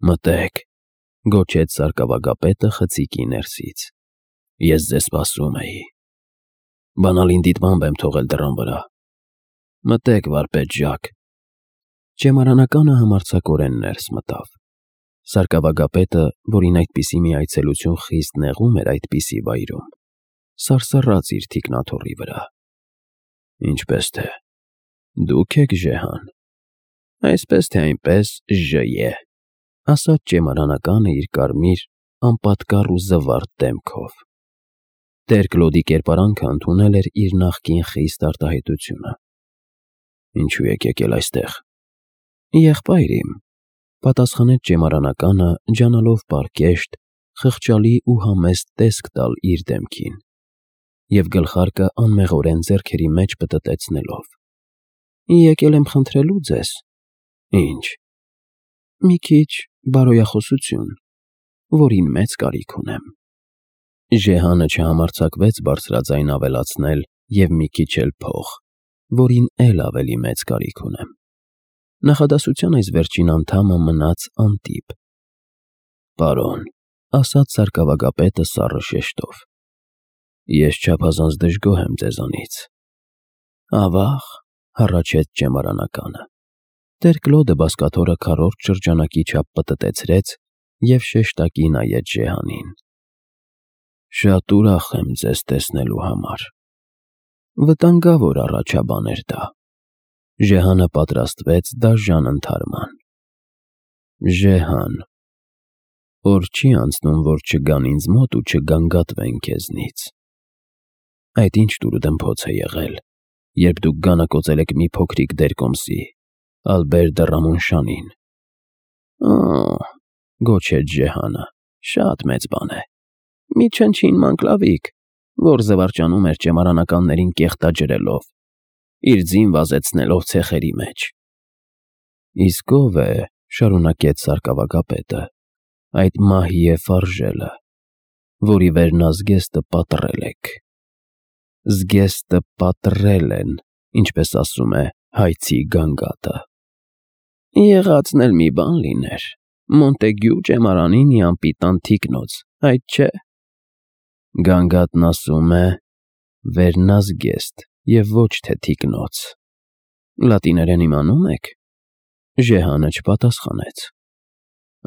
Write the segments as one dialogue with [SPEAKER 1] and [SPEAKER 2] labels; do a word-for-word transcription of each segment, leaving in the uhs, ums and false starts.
[SPEAKER 1] Մտեք, գոչեց սարկավագապետը խցիկի ներսից։ Ես ձեզ սպասում էի։ Բանալին դիտմամբ եմ թողել դռան վրա։ Մտեք, վարպետ Ժակ։ Ճեմարանականը համարձակորեն ներս մտավ։ Սարկավագապետը, որին այդպիսի մի այցելություն խիստ նեղում էր այդպիսի վայրում, սարսռաց իր թիկնաթոռի վրա։ Ինչպես թե, դուք եք Ժեհան։ Այսպես թե այնպես Ժ է, ասաց ճեմարանականը իր կարմիր, անպատկառ ու զվարթ դեմքով։ Տեր Կլոդի կերպարանքը ընդունել էր իր նախկին խիստ արտահայտությունը։ Ինչու եք եկել այստեղ։ Եղբայր իմ, պատասխանեց ճեմարանականը, ջանալով պարկեշտ, խղճալի ու համեստ տեսք տալ իր դեմքին, և գլխարկը անմեղորեն ձեռքերի մեջ պտտեցնելով։ Եկել եմ խնդրելու ձեզ։ Ինչ։ Մի քիչ բարոյախոսություն, որին մեծ կարիք ունեմ։ Ժեհանը չհամարձակվեց բարձրաձայն ավելացնել և մի քիչ էլ փող, որին էլ ավելի մեծ կարիք ունեմ։ Նախադասության այս վերջին անդամը մնաց անտիպ։ Պարոն, ասաց սարկավագապետը սառը շեշտով, ես չափազանց դժգոհ եմ ձեզանից։ Ավա՜ղ, հառաչեց ճեմարանականը։ Տեր Կլոդը բազկաթոռը քառորդ շրջանակի չափ պտտեցրեց և շեշտակի նայեց Ժեհանին։ Շատ ուրախ եմ ձեզ տեսնելու համար։ Վտանգավոր առաջաբան էր դա։ Ժեհանը պատրաստվեց դաժան ընդհարման։ Ժեհան, օր չի անցնում, որ չգան ինձ մոտ ու չգանգատվեն քեզնից։ Այդ ինչ տուրուդմփոց է եղել, երբ դուք գանակոծել եք մի փոքրիկ դերկոմսի, Ալբեր դը Ռամոնշանին։ Օ՜, գոչեց Ժեհանը, շատ մեծ բան է։ Մի չնչին մանկլավիկ, որ զվարճանում էր ճեմարանականներին կեղտաջրելով, իր ձին վազեցնելով ցեխերի մեջ։ Իսկ ով է, շարունակեց սարկավագապետը, այդ Մահիե Ֆարժելը, որի վերնազգեստը պատռել եք։ Զգեստը պատռել են, ինչպես ասում է հայցի գանգատը։ Եղածն էլ մի բան լիներ, Մոնտեգյու ճեմարանի մի անպիտան թիկնոց, այդ չէ։ Գանգատն ասում է վերնազգեստ և ոչ թե թիկնոց։ Լատիներեն իմանում եք։ Ժեհանը չպատասխանեց։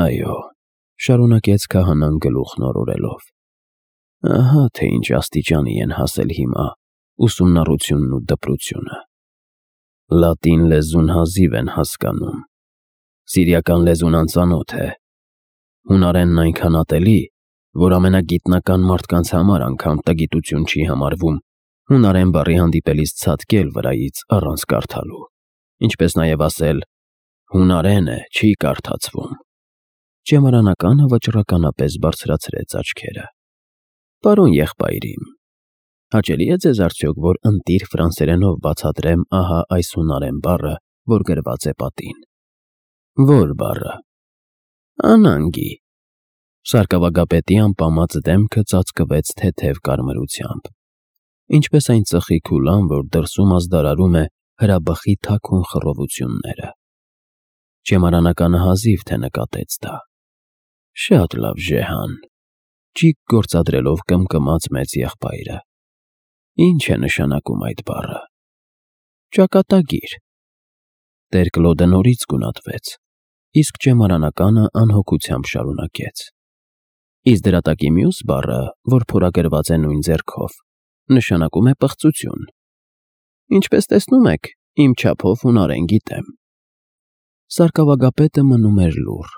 [SPEAKER 1] Այո, շարունակեց քահանան գլուխն օրորելով։ Ահա թե ինչ աստիճանի են հասել հիմա ուսումնառությունն ու դպրությունը։ Լատին լեզուն հազիվ են հասկանում։ Սիրիական լեզուն անծանոթ է։ Հունարենն այնքան ատելի, որ ամենագիտնական մարդկանց համար անգամ տգիտություն չի համարվում հունարեն բառի հանդիպելիս ցատկել վրայից առանց կարդալու, ինչպես նաև ասել հունարեն է, չի կարդացվում։ Ճեմարանականը վճռականապես բարձրացրեց աչքերը։ Պարոն եղբայր իմ, հաճելի է ձեզ արդյոք, որ ընտիր ֆրանսերենով բացատրեմ ահա այս հունարեն բառը, որ գրված է պատին։ Ո՞ր բառը։ Անանգի։ Սարկավագապետի անպամած դեմքը ծածկվեց թեթև կարմրությամբ, ինչպես այն ծխի քուլան, որ դրսում ազդարարում է հրաբխի թաքուն խռովությունները։ Ճեմարանականը հազիվ թե նկատեց դա։ Շատ լավ, Ժեհան, ճիգ գործադրելով կմկմաց մեծ եղբայրը։ Ինչ է նշանակում այդ բառը։ Ճակատագիր։ Տեր Կլոդը նորից գունատվեց, իսկ ճեմարանականը անհոգությամբ շարունակեց։ Իսկ դրա տակի մյուս բառը, որ փորագրված է նույն ձեռքով, նշանակում է պղծություն։ Ինչպես տեսնում եք, իմ չափով հունարեն գիտեմ։ Սարկավագապետը մնում էր լուռ։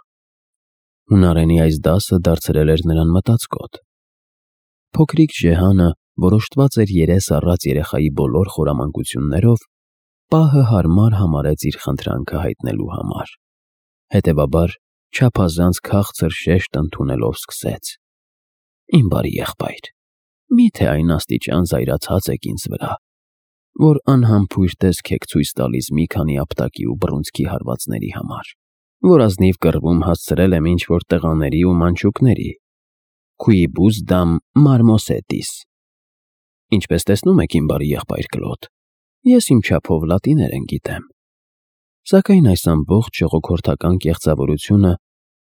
[SPEAKER 1] Հունարենի այս դասը դարձրել էր նրան մտածկոտ։ Փոքրիկ Ժեհանը որոշտված էր երես առած երեխայի բոլոր խորամանկություններով, պահը հարմար համարեց իր խնդրանքը հայտնելու համար։ Հետևաբար, չափազանց քաղցր շեշտ ընդունելով սկսեց. Իմ բարի եղբայր, միթե այն աստիճան զայրացած եք ինձ վրա, որ անհամբույր տեսք եք ցույց տալիս մի քանի ապտակի ու բռունցքի հարվածների համար, որ ազնիվ կռվում հասցրել եմ ինչ-որ տղաների ու մանչուկների, Quibus dam marmosetis։ Ինչպես տեսնում եք, իմ բարի եղբայր Կլոդ, ես իմ չափով լատիներեն գիտեմ։ Սակայն այս ամբողջ ժողովրդական կեղծավորությունը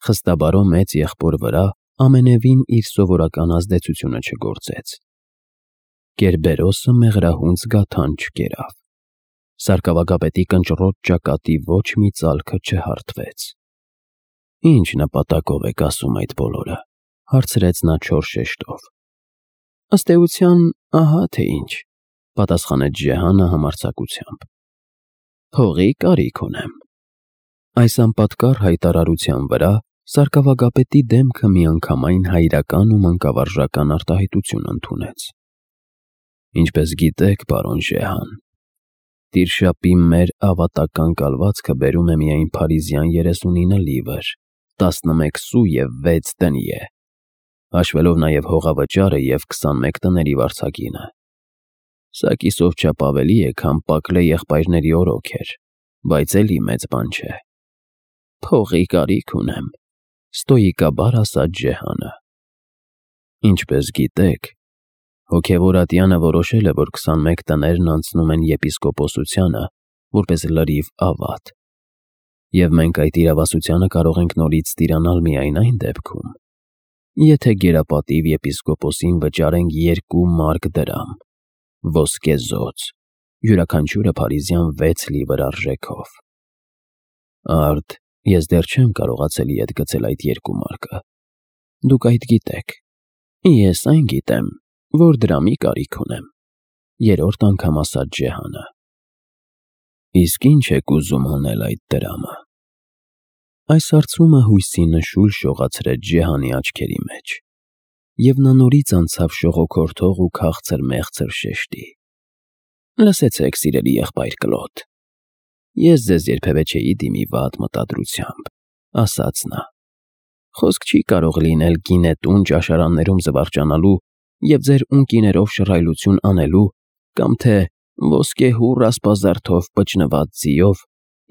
[SPEAKER 1] խստաբարո մեծ եղբոր վրա ամենևին իր սովորական ազդեցությունը չգործեց։ Կերբերոսը մեղրահունձ գաթան չկերավ։ Սարկավագապետի կնճռոտ ճակատի ոչ մի ծալքը չհարթվեց։ Ինչ նպատակով եք ասում այդ բոլորը, հարցրեց նա չոր շեշտով։ Ըստ էության, ահա թե ինչ, պատասխանեց Ջեհանը համարձակությամբ։ Փողի կարիք ունեմ։ Այս անպատկառ հայտարարության վրա սարկավագապետի դեմքը միանգամայն հայրական ու մանկավարժական արտահայտություն ընդունեց։ Ինչպես գիտեք, պարոն Ջեհան, Տիրշապի մեր ավատական կալվածքը բերում է միայն փարիզյան երեսունինը լիվր, տասնմեկ սու և վեց դնիե, հաշվելով նաև հողավճարը և քսանմեկ տների վարձակինը։ Սա կիսով չափ ավելի է, քան Պակլե եղբայրների օրոք էր, բայց էլի մեծ բան չէ։ Փողի կարիք ունեմ, ստոիկաբար ասաց Ջեհանը։ Ինչպես գիտեք, հոգևոր ատյանը որոշել է, որ քսանմեկ տներն անցնում են եպիսկոպոսությանը, որպես լրիվ ավատ, և մենք այդ իրավասությանը կարող ենք նորից ստիրանալ միայն այն դեպքում, եթե գերապատիվ եպիսկոպոսին վճարենք երկու մարկ դրամ, ոսկեզոծ, յուրաքանչյուրը փարիզյան վեց լիվր արժեքով։ Արդ, ես դեռ չեմ կարողացել ետ գցել այդ երկու մարկը։ Դուք այդ գիտեք։ Ես այն գիտեմ, որ դրամի կարիք ունեմ, երրորդ անգամ ասաց Ջեհանը։ Իսկ ինչ եք ուզում անել այդ դրամը։ Այս հարցումը հույսի նշույլ շողացրեց Ջեհանի աչքերի մեջ, և նա նորից անցավ շողոքորթող ու քաղցր մեղցր շեշտի։ Լսեցեք, սիրելի եղբայր Կլոդ, ես ձեզ երբևէ չէի դիմի վատ մտադրությամբ, ասաց նա։ Խոսք չի կարող լինել գինետուն ճաշարաններում զվարճանալու և ձեր ունկիներով շռայլություն անելու կամ թե ոսկեհուռ ասպազարդով պճնված ձիով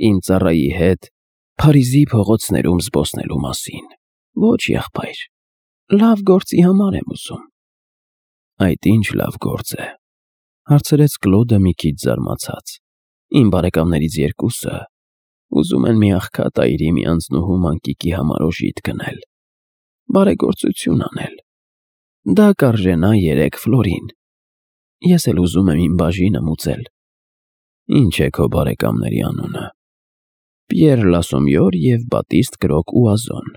[SPEAKER 1] իմ ծառայի հետ Փարիզի փողոցներում զբոսնելու մասին։ Ոչ, եղբայր, լավ գործի համար եմ ուզում։ Այդ ինչ լավ գործ է, հարցրեց Կլոդը մի քիչ զարմացած։ Իմ բարեկամներից երկուսը ուզում են մի աղքատ այրի մի անձնուհու մանկիկի համար օժիտ գնել, բարեգործություն անել։ Դա կարժենա երեք ֆլորին։ Ես էլ ուզում եմ իմ բաժինը մուծել։ Ինչ է քո բարեկամների անունը։ Պիեր Լասոմյոր և Բատիստ Կրոկ Ուազոն։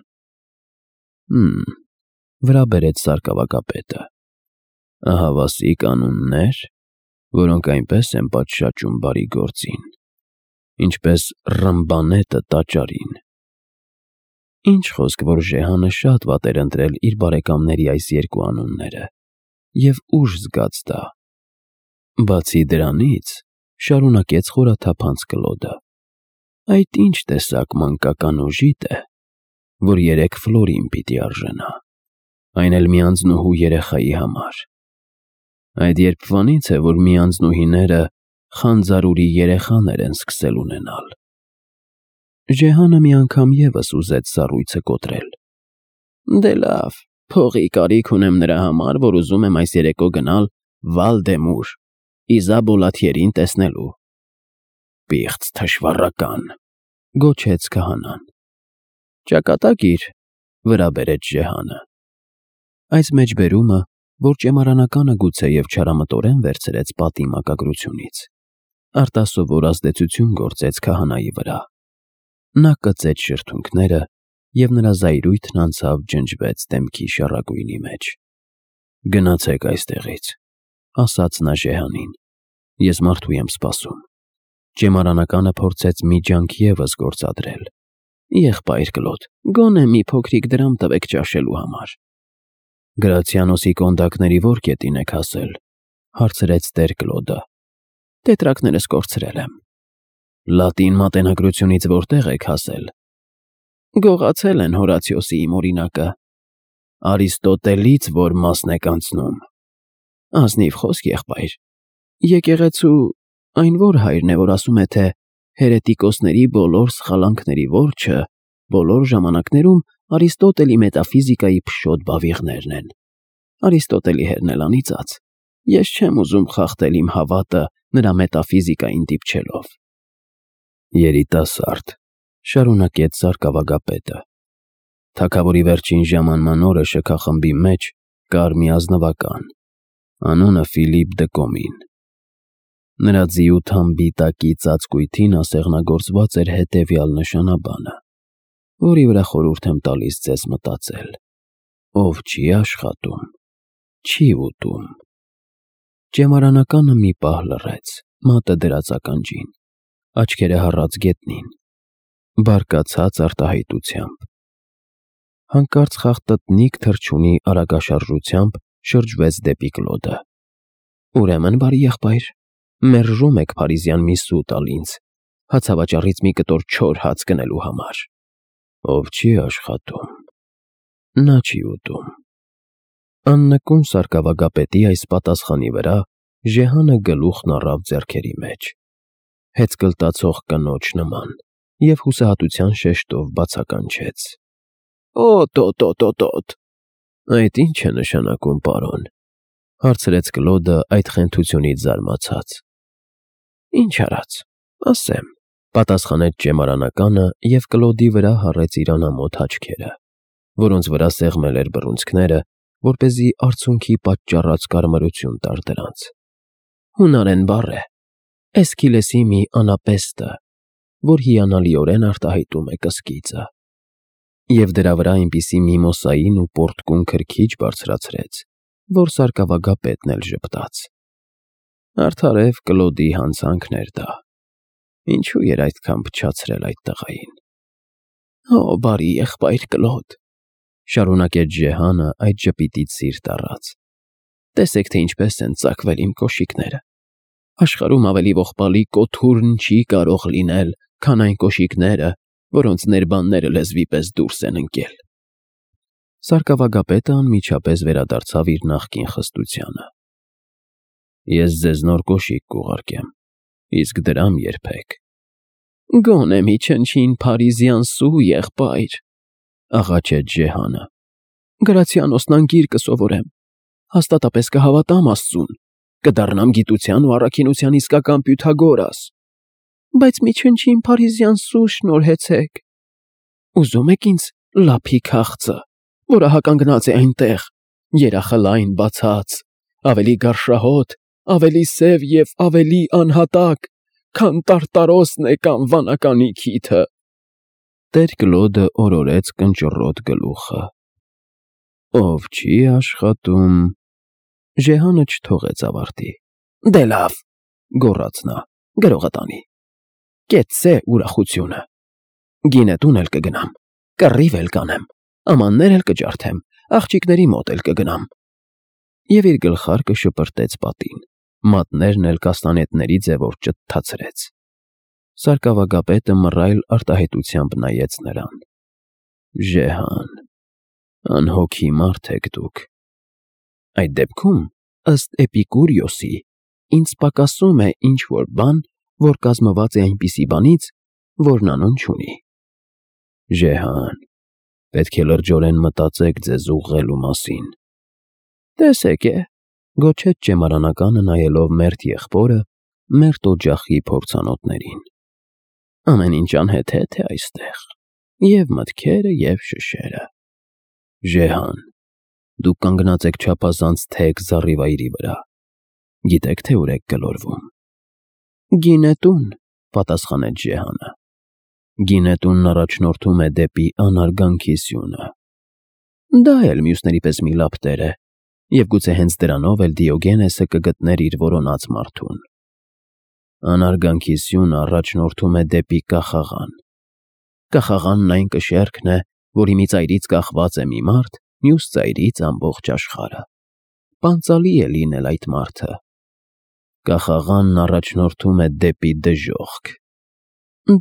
[SPEAKER 1] Հմ, վրա բերեց սարկավագապետը։ Ահավասիկ անուններ, որոնք այնպես են պատշաճում բարի գործին, ինչպես Ռմբանետը տաճարին։ Ինչ խոսք, որ Ջեհանը շատ վատ էր ընտրել իր բարեկամների այս երկու անունները, և ուժ զգաց դա։ Բացի դրանից, շարունակեց խորաթափանց Կլոդը, այդ ինչ տեսակ մանկական օժիտ է, որ երեք ֆլորին պիտի արժենա, այն էլ մի անձնուհու երեխայի համար։ Այդ երբվանից է, որ մի անձնուհիները խանձարուրի երեխաներ են սկսել ունենալ։ Ջեհանը մի անգամ ևս ուզեց սառույցը կոտրել։ Դե լավ, փողի կարիք ունեմ նրա համար, որ ուզում եմ այս երեկո գնալ Վալ-դե-Մուր, Իզաբոլաթիերին տեսնելու։ Պիղծ թշվառական, գոչեց քահանան։ Ճակատագիր, վրա բերեց Ջեհանը։ Այս մեջբերումը, որ ճեմարանականը գուցեև չարամտորեն վերցրեց պատի մակագրությունից, արտասովոր ազդեցություն գործեց քահանայի վրա։ Նա կծեց շրթունքները, և նրա զայրույթն անցավ ջնջվեց դեմքի շառագույնի մեջ։ Գնացեք այստեղից, ասաց նա Ջեհանին, ես մարդու եմ սպասում։ Ճեմարանականը փորձեց մի ջանք ևս գործադրել։ Եղբայր Կլոդ, գոնե մի փոքրիկ դրամ տվեք ճաշելու համար։ Գրացիանոսի կոնդակների ո՞ր կետին եք հասել, հարցրեց տեր Կլոդը։ Տետրակներս կորցրել եմ։ Լատին մատենագրությունից որտեղ եք հասել։ Գողացել են Հորացիոսի իմ օրինակը։ Արիստոտելից որ մասն եք անցնում։ Ազնիվ խոսք, եղբայր։ Եկեղեցու այն որ հայրն է, որ ասում է, թե հերետիկոսների բոլոր սխալանքների որջը բոլոր ժամանակներում Արիստոտելի մետաֆիզիկայի փշոտ բավիղներն են։ Արիստոտելի հերն էլ անիծած։ Ես չեմ ուզում խախտել իմ հավատը նրա մետաֆիզիկային դիպչելով։ Երիտասարդ, շարունակեց սարկավագապետը, Թագավորի վերջին ժամանման օրը շքախմբի մեջ կար մի ազնվական, անունը Ֆիլիպ դը Կոմին։ Նրա ձիութան բիտակի ծածկույթին ասեղնագործված էր հետևյալ նշանաբանը, որի վրա խորհուրդ եմ տալիս ձեզ մտածել. ով չի աշխատում, չի ուտում։ Ճեմարանականը մի պահ լռեց, մատը դրած ականջին, աչքերը հառած գետնին, բարկացած արտահայտությամբ։ Հանկարծ խաղտնիկ թռչունի արագաշարժությամբ շրջվեց դեպի Կլոդը։ Ուրեմն, բարի եղբայր, մերժում եք փարիզյան մի սու տալ ինձ, հացավաճառից մի կտոր չոր հաց գնելու համար։ Ով չի աշխատում, նա չի ուտում։ Աննկուն սարկավագապետի այս պատասխանի վրա Ժեհանը գլուխն առավ ձեռքերի մեջ, հեծկլտացող կնոջ նման, և հուսահատության շեշտով բացականչեց. Օ՛տո՛տո՛տո՛տոտ։ Այդ ի՞նչ է նշանակում, պարոն, հարցրեց Կլոդը այդ խենթությունից զարմացած։ Ինչ արած, ասեմ, պատասխանեց ճեմարանականը և Կլոդի վրա հառեց իր անամոթ աչքերը, որոնց վրա սեղմել էր բռունցքները, որպեսզի արցունքի պատճառած կարմրություն տար դրանց։ Հունարեն բառ է, Էսքիլեսի մի անապեստը, որ հիանալիորեն արտահայտում է կսկիծը։ Եվ դրա վրա այնպիսի միմոսային ու պորտկուն քրքիջ բարձրացրեց, որ սարկավագապետն էլ ժպտաց։ Արդարև Կլոդի հանցանքն էր դա։ Ինչու էր այդքան փչացրել այդ տղային։ Օ, բարի եղբայր Կլոդ, շարունակեց Ժեհանը այդ ժպիտից սիրտ առած։ Տեսեք, թե ինչպես են ծակվել իմ կոշիկները։ Աշխարհում ավելի ողբալի կոթուրն չի կարող լինել, քան այն կոշիկները, որոնց ներբանները լեզվի պես դուրս են ընկել։ Սարկավագապետը անմիջապես վերադարձավ իր նախկին խստությանը։ Ես ձեզ նոր կոշիկ կուղարկեմ, իսկ դրամ երբեք։ Գոնե մի չնչին փարիզյան սու, եղբայր, աղաչեց Ժեհանը։ Գրացիանոսն անգիր կսովորեմ, հաստատապես կհավատամ Աստծուն, կդառնամ գիտության ու առաքինության իսկական Պյութագորաս, բայց մի չնչին փարիզյան սու շնորհեցեք։ Ուզում եք ինձ լափի քաղցը, որը հականգնած է այնտեղ, երախլայն բացած, ավելի գարշահոտ, ավելի սև և ավելի անհատակ, քան տարտարոսն է կամ վանականի քիթը։ Տեր Կլոդը օրորեց կնճռոտ գլուխը։ Ով չի աշխատում, Ժեհանը չթողեց ավարտի։ Դե լավ, գոռաց նա, գրողը տանի։ Կեցցե ուրախությունը։ Գինետուն էլ կգնամ, կռիվ էլ կանեմ, ամաններ էլ կջարդեմ, աղջիկների մոտ էլ կգնամ։ Եվ իր գլխարկը շպրտեց պատին, մատներն էլ կաստանետների ձևով ճթթացրեց։ Սարկավագապետը մռայլ արտահայտությամբ նայեց նրան։ Ժեհան, անհոգի մարդ եք դուք։ Այդ դեպքում, ըստ Էպիկուրիոսի, ինձ պակասում է ինչ-որ բան, որ կազմված է այնպիսի բանից, որն անուն չունի։ Ժեհան, պետք է լրջորեն մտածեք ձեզ ուղղելու մասին։ Տեսեք է, գոչեց ճեմարանականը նայելով մերթ եղբորը, մերթ օջախի փորձանոթներին։ Ամեն ինչ անհեթեթ է այստեղ, և մտքերը, և շշերը։ Ժեհան, դուք կանգնած եք չափազանց թեք զառիվայրի վրա։ Գիտեք, թե ուր եք գլորվում։ Գինետուն, պատասխանեց Ժեհանը։ Գինետունն առաջնորդում է դեպի անարգանքի սյունը։ Դա էլ մյուսների պես մի լապտեր է, և գուցե հենց դրանով էլ Դիոգենեսը կգտներ իր որոնած մարդուն։ Անարգանքի սյունը առաջնորդում է դեպի կախաղան։ Կախաղանն այն կշեռքն է, որի մի ծայրից կախված է մի մարդ, մյուս ծայրից ամբողջ աշխարհը։ Պանծալի է լինել այդ մարդը։ Կախաղանն առաջնորդում է դեպի դժոխք։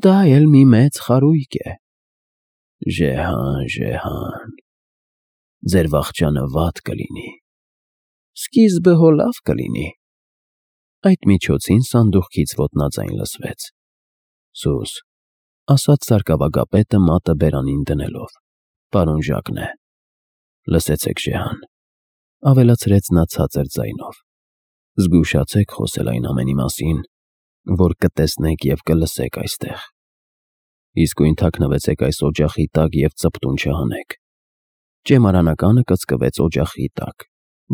[SPEAKER 1] Դա էլ մի մեծ խարույկ է։ Ժեհան, Ժեհան, ձեր վախճանը վատ կլինի։ Սկիզբը հո լավ կլինի։ Այդ միջոցին սանդուղքից ոտնաձայն լսվեց։ Սուս, ասաց սարկավագապետը մատը բերանին դնելով, պարոն Ժակն է։ Լսեցեք, Ժեհան, ավելացրեց նա ցածր ձայնով։ Զգուշացեք խոսել այն ամենի մասին, որ կտեսնեք և կլսեք այստեղ։ Իսկույն թաքնվեցեք այս օջախի տակ և ծպտուն չհանեք։ Ճեմարանականը կծկվեց օջախի տակ,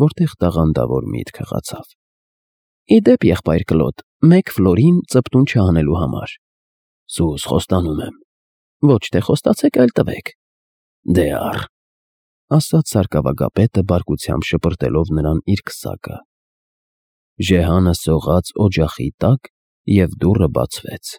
[SPEAKER 1] որտեղ տաղանդավոր միտք հղացավ։ Ի դեպ, եղբայր Կլոդ, մեկ ֆլորին ծպտուն չհանելու համար։ Սուս խոստանում եմ։ Ոչ թե խոստացեք, այլ տվեք։ Դե առ, ասաց սարկավագապետը բարկությամբ շպրտելով նրան իր քսակը։ Ժեհանը սողաց օջախի տակ, և դուռը բացվեց։